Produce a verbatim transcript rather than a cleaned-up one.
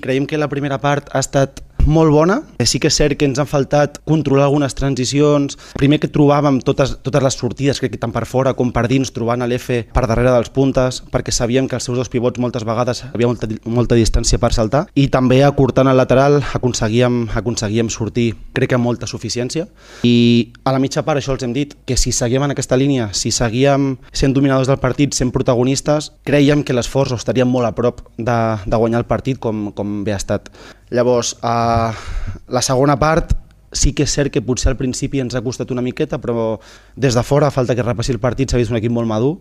Creiem que la primera part ha estat molt bona. Sí que és cert que ens han faltat controlar algunes transicions. Primer que trobàvem totes, totes les sortides, crec que tant per fora com per dins, trobant l'F per darrere dels puntes, perquè sabíem que els seus dos pivots moltes vegades hi havia molta, molta distància per saltar, i també acortant el lateral aconseguíem, aconseguíem sortir, crec que amb molta suficiència. I a la mitja part això els hem dit, que si seguíem en aquesta línia, si seguíem sent dominadors del partit, sent protagonistes, creiem que l'esforç estaríem molt a prop de, de guanyar el partit com, com bé ha estat. Llavors, a la segona part sí que és cert que potser al principi ens ha costat una miqueta, però des de fora, a falta que repassi el partit, s'ha vist un equip molt madur